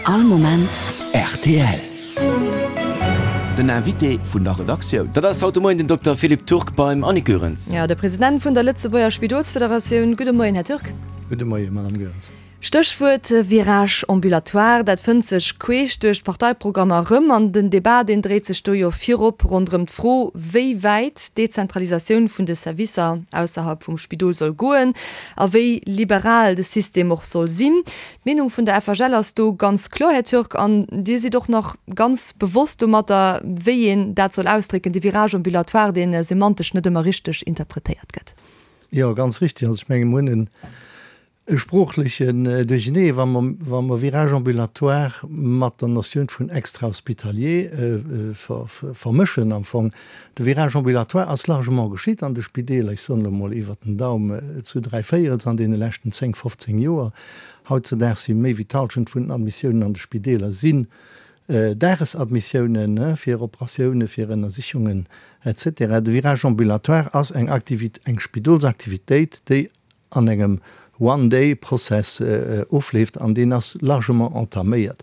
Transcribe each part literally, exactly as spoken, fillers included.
All Moment rtl. Den Invité vun der Redaktioun. Dat ass haut de Moien den Dokter Philippe Turk beim Annick Goerens. Jo, de President vun der Lëtzebuerger Spidolsfederatioun. Gudde Moien, Här Turk. Gudde Moien, Madame Goerens. Stéchwuert Virage ambulatoire, dat fënnt sech queesch duerch d'Parteiprogrammer erëm. An den Debat, deen dréit sech do jo virop ronderëm d'Fro, wéi wäit d'Dezentralisatioun vun de Servicer ausserhalb vum Spidol soll goen a wéi liberal de System och soll sinn. D'Meenung vun der F H L ass do ganz kloer, Här Turk, an Dir sidd och nach ganz bewosst domatter, wéi een dat soll ausdrécken, de Virage ambulatoire, dee semantesch net ëmmer richteg interpretéiert gëtt. Jo, ganz richtig. Also ech menge mir hunn e sproochlechen Duerchenee, wa mer, wa mer Virage ambulatoire mat der Notioun vun extrahospitalier vermëschen am Fong. De Virage ambulatoire ass largement geschitt an de Spideeler, ech soen elo mol iwwert den Daum zu dräi Véierels an deene leschten zéng, fofzéng Joer. Hautzedaags si méi wéi d'Halschent vun den Admissiounen an de Spideeler sinn Dagesadmissiounen fir Operatiounen, fir Ënnersichungen et cetera. De Virage ambulatoire ass eng Aktivit, eng Spidolsaktivitéit, déi an engem One-Day-Process ofleeft an deen ass largement entaméiert.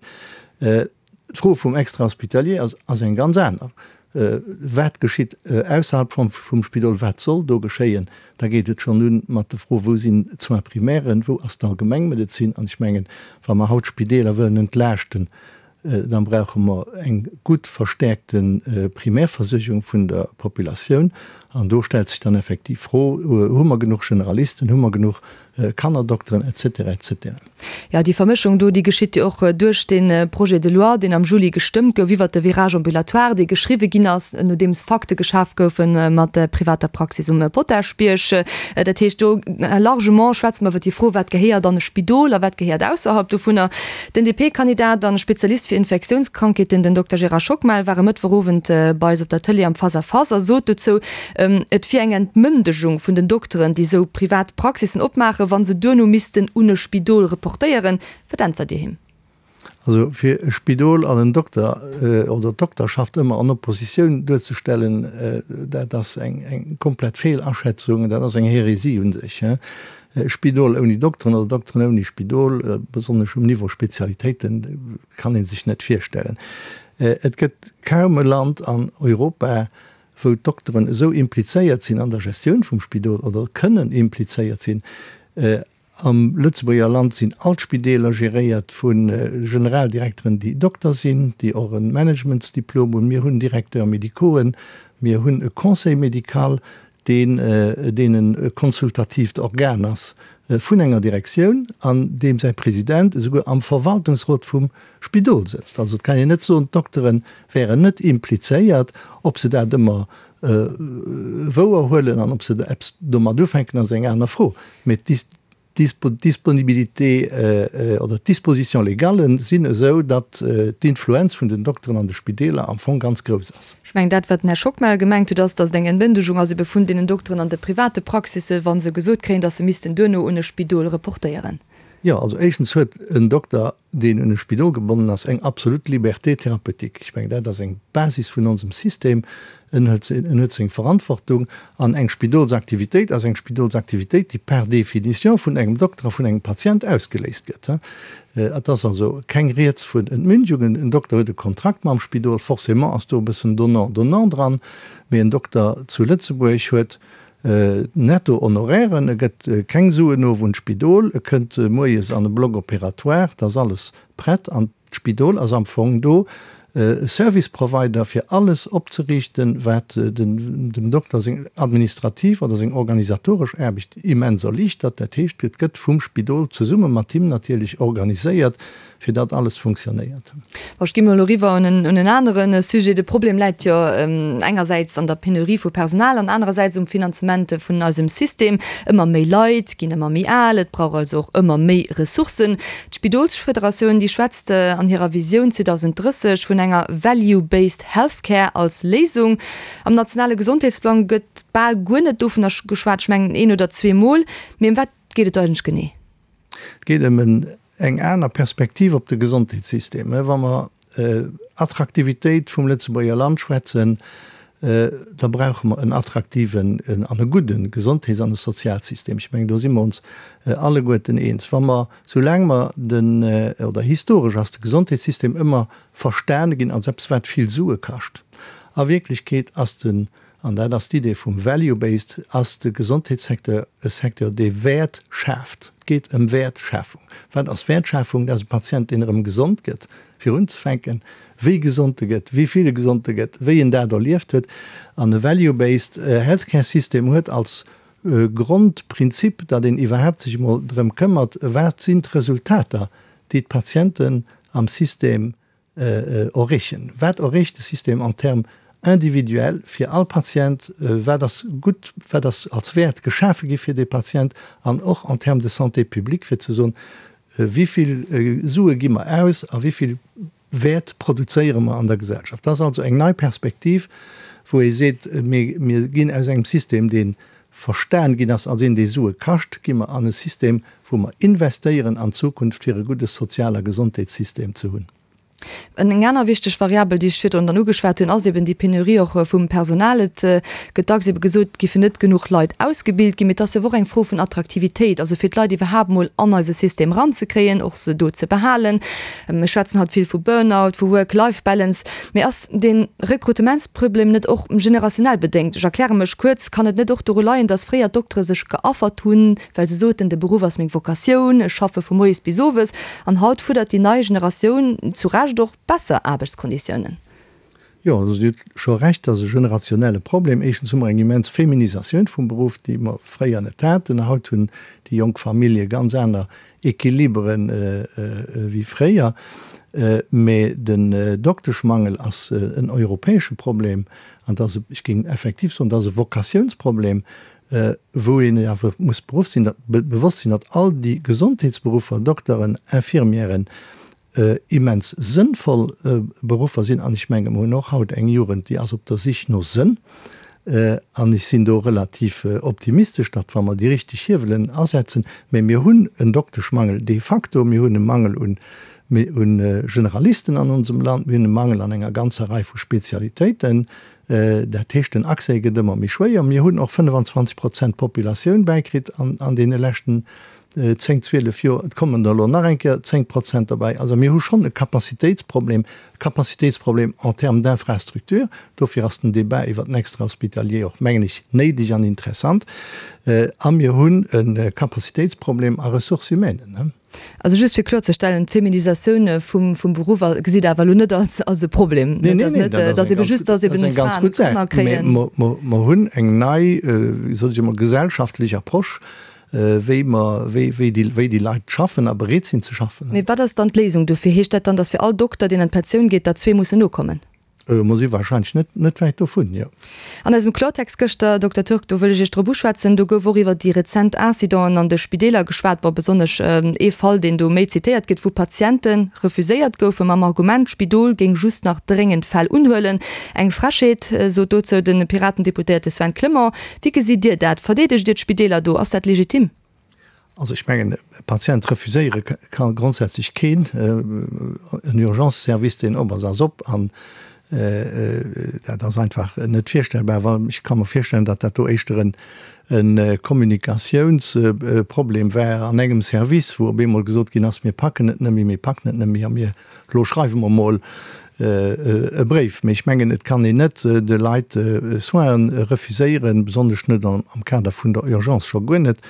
D'Fro vum Extrahospitalier ass, ass eng ganz aner. Wat geschitt ausserhalb vum, vum Spidol? Wat soll do geschéien? Da geet et schonn un mat der Fro, wou sinn d'Soins primairen, wou ass d'Allgemengmedezin? An ech mengen, wa mer haut d'Spideeler wëllen entlaaschten, dann brauche mer eng gutt verstäerkte Primärversuergung vun der Populatioun. An do stellt sech dann effektiv d'Fro, Hu mer genuch Generalisten, hu mer genuch Kannerdokteren, et cetera, et cetera. Jo, déi Vermëschung do, déi geschitt jo och duerch dee Projet de loi, deen am Juli gestëmmt gouf iwwert de Virage ambulatoire, dee geschriwwe ginn ass, nodeems Fakte geschaf goufe mat der privater Praxis um Potaschbierg. Dat heescht, do largement schwätze mer iwwert déi Fro, wat gehéiert an e Spidol a wat gehéiert ausserhalb dovunner. Den D P-Kandidat an Spezialist fir Infektiounskrankheeten, den Dokter Gérard Schockmel, war e Mëttwochowend bei eis op der Tëlee am Face à Face a sot dozou, et wier eng Entmëndegung vun den Dokteren, déi esou privat Praxissen opmaachen, wa se duerno missten un e Spidol reportéieren. Wat äntwert Dir him? Also fir e Spidol an en Dokter oder d'Dokterschaft ëmmer an Oppositioun duerzestellen, dat ass eng eng komplett Feelaschätzung, dat ass eng Hérésie u sech. E Spidol ouni Dokteren oder Dokteren ouni Spidol, besonnesch um Niveau Spezialitéiten, kann ee sech net virstellen. Et gëtt kaum e Land an Europa, wou d'Dokteren esou implizéiert sinn an der Gestioun vum Spidol oder kënnen implizéiert sinn. Am Lëtzebuerger Land sinn all d'Spideeler geréiert vu Generaldirekteren, déi Dokter sinn, déi och e Managementsdiplom hunn. Mir hunn Directeurs médicauxen, mir hunn e Conseil médical, deen deen e konsultatiivt Organ ass vun enger Direktioun an deem säi President esouguer am Verwaltungsrot vum Spidol sëtzt. Also et kann een net soen, d'Doktere wären net implizéiert. Ob se dat ëmmer wouer huelen an ob se eppes domat ufänken, ass eng aner Fro. Mee d'Disponibilité oder d'Dispositions légales sinn esou, datt d'Influenz vun den Dokteren an de Spideeler am Fong ganz grouss ass. Ech mengen, dat, wat den Här Schockmel gemengt huet, ass, datt et eng Entmëndegung ass ebe vun deenen Dokteren an de private Praxissen, wa se gesot kréien, datt se missten duerno un e Spidol reportéieren. Jo, also éischtens huet en Dokter, deen un e Spidol gebonnen ass, eng absolut Liberté thérapeutique. Ech mengen, dat ass eng Basis vun onsem System. En huet, en huet seng Verantwortung. An eng Spidolsaktivitéit ass eng Spidolsaktivitéit, déi par définition vun engem Dokter a vun engem Patient ausgeléist gëtt. Et ass also keng Rieds vun Entmündigungen. En Dokter huet e Kontrakt mam Spidol, forcément ass do e bëssen donnant-donnant dran. Mee en Dokter zu Lëtzebuerg huet netto Honorairen, e gëtt keng Suen of un d'Spidol, e kënnt moies an e Bloc opératoire, et ass alles prett an d'Spidol ass am Fong do e Service Provider fir alles opzeriichten, wat dem Dokter seng administrativ oder seng organisatoresch Aarbecht immens erliichtert. Dat heescht, et gëtt vum Spidol zesumme mat him natierlech organiséiert, fir datt alles funktionéiert. Bon, ech gi mol elo eriwwer un en, un en anere Sujet. De Problem läit jo engersäits an der Penurie vu Personal an anerersäits um Finanzement vun eisem System. Ëmmer méi Leit ginn ëmmer méi al, et brauch also och ëmmer méi Ressourcen. D'Spidolsfederatioun, déi schwätzt an hirer Visioun zweedausend drësseg vun enger Value-based Healthcare als Léisung. Am nationale Gesondheetsplang gëtt bal guer net dovunner geschwat, ech mengen een oder zwee Mol. Mee ëm wat geet et eigentlech genee? Et geet ëm en eng aner Perspektiv op de Gesondheetssystem. Wa mer Attraktivitéit vum Lëtzebuerger Land schwätzen, da brauche mer en attraktiven an e gudde Gesondheets an e Sozialsystem. Ech mengen, do si mer ons alleguerten eens. Wa mer, soulaang mer den, oder historesch ass de Gesondheetssystem ëmmer verstane ginn als eppes, wat vill Sue kascht. A Wierklechkeet ass den, an dat ass d'Idee vum Value-based, ass de Gesondheetssecteur e Secteur, dee Wäert schaaft. Et geet ëm Wäertschafung. Wat ass Wäertschafung? Dat ass e Patient, deen erëm gesond gëtt, fir unzefänken, wéi gesond e gëtt, wéi vill e gesond e gëtt, wéi en dat erlieft huet. An e Value-based Healthcare System huet als Grondprinzip, datt een iwwerhaapt sech emol drëm këmmert, wat sinn d'Resultater, déi d'Patienten am System erreechen. Wat erreecht de System en termes individuel fir all Patient, wat ass gutt, wat ass als Wäert geschafe gi fir dee Patient an och en termes de santé publique, fir ze soen, wéi vill Sue gi mer aus a wéi vill Wäert produzéiere mer an der Gesellschaft. Dat ass also eng nei Perspektiv, wou ee seet, mir ginn aus engem System, dee verstan ginn ass als een, dee Sue kascht, gi mer an e System, wou mer investéieren an d'Zukunft, fir e gudde Sozial a Gesondheetssystem ze hunn. Eng aner wichteg Variabel, déi ech virdrun dann ugeschwat hunn, ass eben déi Penurie och vum Personal. Et gëtt dacks ebe gesot, et géifen net genuch Leit ausgebilt ginn. Mee et ass jo och eng Fro vun Attraktivitéit, also fir d'Leit iwwerhaapt emol an eise System eranzekréien, och se do ze behalen. Mir schwätzen haut vill vu Burnout, vu Work-Life-Balance. Mee ass dee Rekrutementsproblem net och generationell bedéngt? Ech erkläre mech kuerz, Kann et net och doru leien, datt fréier d'Doktere sech geaffert hunn, well se soten, de Beruff ass meng Vocatioun, ech schaffe vu moies bis owes, an haut fuerdert déi nei Generatioun zu Recht och besser Aarbechtskonditiounen? Jo, also Dir hutt scho Recht, dat ass e generationelle Problem. Éischtens hu mer eng immens Feminisatioun vum Beruff, déi mer fréier net haten. Haut hunn déi jonk Famillje ganz aner Equiliberen wéi fréier. Mä den Dokteschmangel ass en europäesche Problem an dat ass, ech géing effektiv soen, dat ass e Vokatiounsproblem, wou een awer muss bewosst sinn, bewosst sinn, datt all déi Gesondheetsberuffer, Dokteren, Infirmièren, immens sënnvoll Beruffer sinn. An ech menge mer hunn och haut eng Jugend, déi ass op der Sich no Sënn. An ech sinn do relativ optimistesch, datt wa mer déi richteg Hiewelen asetzen, mä mir hunn en Dokteschmangel de facto, mir hunn e Mangel un Generalisten an onsem Land, mir hunn e Mangel an enger ganzer Rei vu Spezialitéiten. Dat heescht, den Accès gëtt ëmmer méi schwéier. Mir hunn och fënnefenzwanzeg Prozent Populatioun bäikritt an deene leschten zéng, zwielef Joer. Et kommen der elo nach eng Kéier zéng Prozent derbäi. Also mir hu schonn e Capacitéitsproblem, e Capacitéitsproblem en termes d'infrastructure. Dofir ass den Débat iwwert den Extrahospitalier och, mengen ech, néideg an interessant. A mir hunn e Capacitéitsproblem a Ressources humaines. Also just fir kloerzestellen, d'Feminisatioun vum vum Beruff gesitt Der awer elo net als als e Problem? Nee, nee, nee, dat ass ebe just, datt eben Fraen Kanner kréien. Mä mer hunn eng nei, wéi soll ech emol, gesellschaftlech Approche, wéi mer, wéi, wéi déi, wéi déi Leit schaffen a bereet sinn ze schaffen. Mee wat ass dann d'Léisung dofir? Heescht dat dann, datt fir all Dokter, deen an d'Pensioun geet, der zwee mussen nokommen? Mer si wahrscheinlech net, net wäit dovun, jo. An eisem Klortext gëschter, Dokter Turk, do wëll ech Iech drop uschwätzen, do gouf och iwwer déi rezent Incidenten an de Spideeler geschwat, bon, besonnesch ee Fall, deen do méi zitéiert gëtt, wou Patiente refuséiert goufe mam Argument, d'Spidol géing just nach dréngend Fäll unhuelen. Eng Frechheet, sot dozou de Piraten-Deputéierte Sven Clement. Wéi gesitt Dir dat? Verdeedegt Dir d'Spideeler do? Ass dat legitim? Also ech mengen, e Patient refuséiere ka grondsätzlech keen. En Urgence-Service, deen op ass, ass op. An dat ass einfach net virstellbar. Well ech ka mer virstellen, datt dat do éischter e Kommunikatiounsproblem war an engem Service, wou op eemol gesot ginn ass, mir packen et net méi, mir packen et net méi a mir, elo schreiwe mer emol e Bréif. Mee ech mengen, et kann een net de Leit Soinen refuséieren, besonnesch net am Kader vun der Urgence, scho guer net,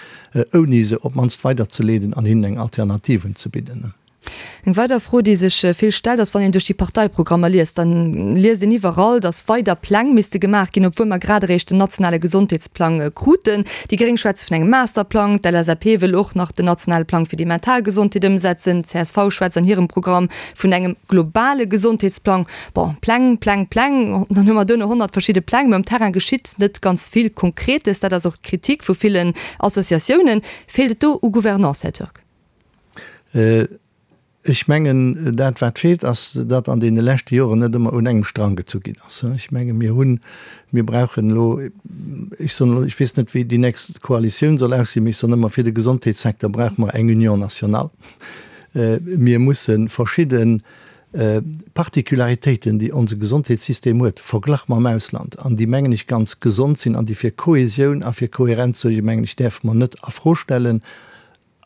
ouni se op d'mannst weiderzeleeden an hinnen eng Alternativ unzebidden. Eng weider Fro, déi sech vill stellt, ass, wann een duerch déi Parteiprogrammer liest, dann liest een iwwerall, datt weider Pläng misste gemaach ginn, obwuel mer grad eréischt den nationale Gesondheetsplang kruten. Déi Gréng schwätze vun engem Masterplang, d'LSAP wëll och nach den nationale Plang fir déi mental Gesondheet ëmsetzen, d'CSV schwätzt an hirem Programm vun engem globale Gesondheetsplang. Bon, Pläng, Pläng, Pläng, dann hu mer duerno honnert verschidde Pläng, mä um Terrain geschitt net ganz vill Konkretes. Dat ass och d'Kritik vu villen Associatiounen. Feelt et do u Gouvernance, Här Turk? Ech mengen, dat wat feelt, ass, datt an deene leschte Joren net ëmmer un engem Strang gezu ginn ass. Ech menge mir hunn, mir brauchen elo, ech soen elo, ech weess net wéi déi nächst Koalitioun soll aussinn, mee ech soen ëmmer, fir de Gesondheetssecteur brauche mer eng Union nationale. Mir musse verschidde Particularitéiten, déi onse Gesondheetssystem huet, verglach mam Ausland, an déi, mengen ech, ganz gesond sinn an déi fir Kohesioun a fir Kohärenz suergen, mengen ech, däerfe mer net a Fro stellen.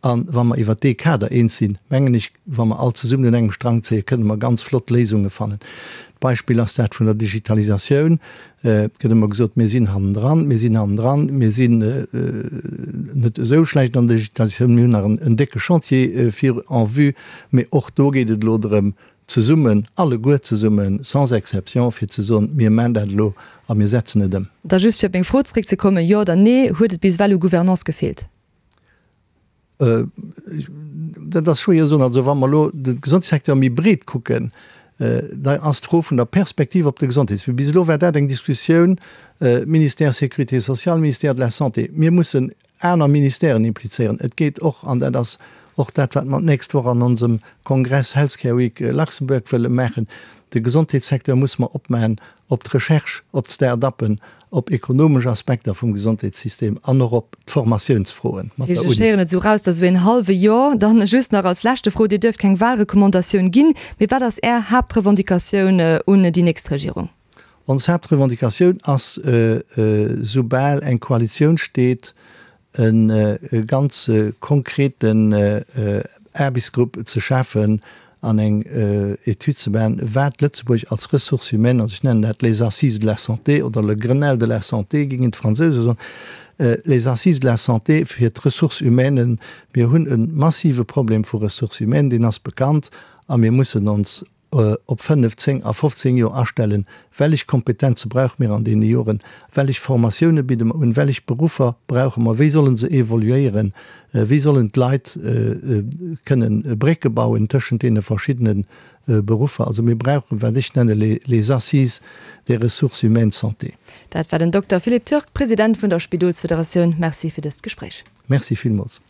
A wa mer iwwert dee Kader eens sinn, mengen ech, wa mer all zesummen un engem Strang zéien, kënne mer ganz flott Léisunge fannen. D'Beispill ass dat vun der Digitalisatioun. Et gëtt ëmmer gesot, mir sinn hannendran, mir sinn hannendran, mir sinn net esou schlecht an der Digitalisatioun, mir hunn nach en décke Chantier vir en vue. Mee och do geet et elo drëm, zesummen, alleguer zesummen, sans exception, fir ze soen, mir maachen dat elo a mir setzen et ëm. Da just fir op meng Fro zréckzekommen, Jo oder Nee, huet et bis ewell u Gouvernance gefeelt? Dat ass schwéier ze soen. Also wa mer elo de Gesondheetssecteur méi breet kucken, da ass d'Fro vun der Perspektiv op de Gesondheets-, bis elo war dat eng Diskussioun Ministère Sécurité sociale, Ministère de la Santé. Mir mussen aner Ministèren implizéieren. Et geet och, an dat ass och dat, wat mer d'nächst Woch an onsem Kongress Healthcare Week Luxembourg wëlle maachen, de Gesondheetssecteur muss mer opmaachen op d'Recherche, op d'Start-uppen, op ekonomesch Aspekter vum Gesondheetssystem an och op d'Formatiounsfroen mat der Uni. Ech héieren et esou raus, dass esou een hallwe Jo. Dann just nach als leschte Fro, Dir duerft keng Wahlrecommandatioun ginn, mee wat ass Är Haaptrevendicatioun un déi nächst Regierung? Ons Haaptrevendicatioun ass, soubal eng Koalitioun steet, e ganz konkreten Aarbechtsgrupp ze schafen an eng Etüd ze maachen, wat Lëtzebuerg als Ressources humaines, also ech nennen dat les Assises de la santé oder le Grenelle de la santé, géingen d'Fransouse soen, les Assises de la santé fir d'Ressources humaines. Mir hunn e massive Problem vu Ressources humaines, deen ass bekannt, a mir mussen ons op fënnef, zéng a fofzéng Joer astellen, wellech Kompetenze brauche mir an deene Joren, wellech Formatioune bidde mer un, wellech Beruffer brauche mer, wéi solle se evoluéieren, wéi sollen d'Leit kënnen Brécke bauen tëschent deene verschiddene Beruffer. Also mir brauchen, wat ech nenne les Assises des ressources humaines santé. Dat war den Dokter Philippe Turk, President vun der Spidolsfederatioun. Merci fir dëst Gespréich. Merci villmools.